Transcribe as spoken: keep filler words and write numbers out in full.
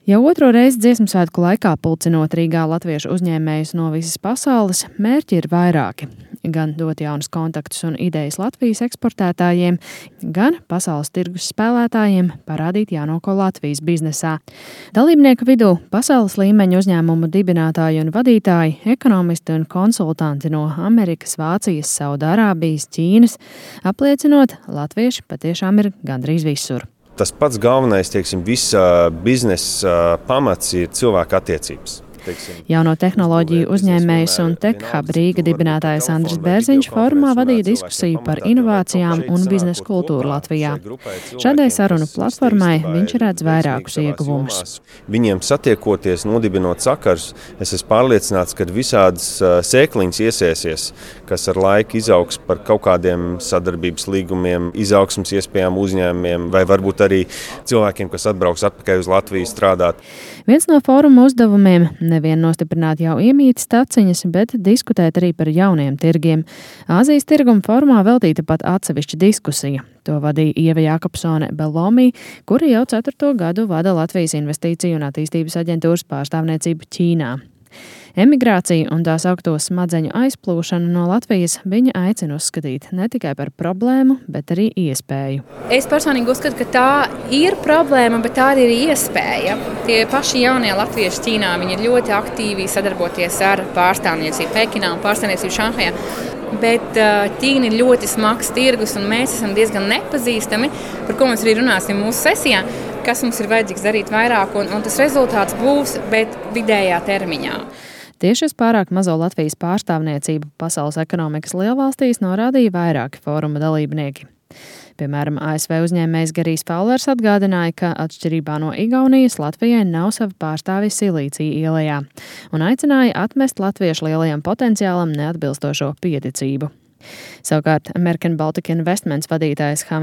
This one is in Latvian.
Jau otro reizi Dziesmu svētku laikā pulcinot Rīgā latviešu uzņēmējus no visas pasaules, mērķi ir vairāki. Gan dot jaunus kontaktus un idejas Latvijas eksportētājiem, gan pasaules tirgus spēlētājiem parādīt jaunāko Latvijas biznesā. Dalībnieku vidū pasaules līmeņa uzņēmumu dibinātāji un vadītāji, ekonomisti un konsultanti no Amerikas, Vācijas, Saudārābijas, Ķīnas, apliecinot, latvieši patiešām ir gandrīz visur. Tas pats galvenais, teiksim, visa biznesa pamats ir cilvēka attiecības. Jauno tehnoloģiju uzņēmējs un TechHub Rīga dibinātājs Andris Bērziņš formā vadīja diskusiju par inovācijām un biznesa kultūru Latvijā. Šādai sarunu platformai viņš redz vairākus ieguvumus. Viņiem satiekoties, nodibinot sakars, es esmu pārliecināts, ka visādas sēkliņas iesēsies, kas ar laiku izaugs par kaut kādiem sadarbības līgumiem, izaugsmas iespējām uzņēmumiem vai varbūt arī cilvēkiem, kas atbrauks atpakaļ uz Latviju strādāt. Viens no fóruma uzdevumiem nevien nostiprināt jau iemītas taciņas, bet diskutēt arī par jauniem tirgiem. Āzijas tirguma formā veltīta pat atsevišķa diskusija. To vadīja Ieva Jākapsone Belomī, kura jau ceturto gadu vada Latvijas Investīciju un attīstības aģentūras pārstāvniecību Ķīnā. Emigrāciju un tās augto smadzeņu aizplūšanu no Latvijas viņa aicina uzskatīt ne tikai par problēmu, bet arī iespēju. Es personīgi uzskatu, ka tā ir problēma, bet tā arī ir iespēja. Tie paši jaunie latvieši Ķīnā, viņi ir ļoti aktīvi sadarboties ar pārstāvniecību Pekinā un pārstāvniecību Šanhajā. Bet Ķīna ir ļoti smags tirgus un mēs esam diezgan nepazīstami, par ko mēs arī runāsim mūsu sesijā, kas mums ir vajadzīgs darīt vairāk un, un tas rezultāts būs, bet vidējā termiņā. Tieši uz pārāk mazo Latvijas pārstāvniecību pasaules ekonomikas lielvalstīs norādīja vairāki fóruma dalībnieki. Piemēram, A S V uzņēmējs Garijs Faulers atgādināja, ka atšķirībā no Igaunijas Latvijai nav sava pārstāvja Silīcija ielajā un aicināja atmest latviešu lielajam potenciālam neatbilstošo pieticību. Savukārt American Baltic Investments vadītājs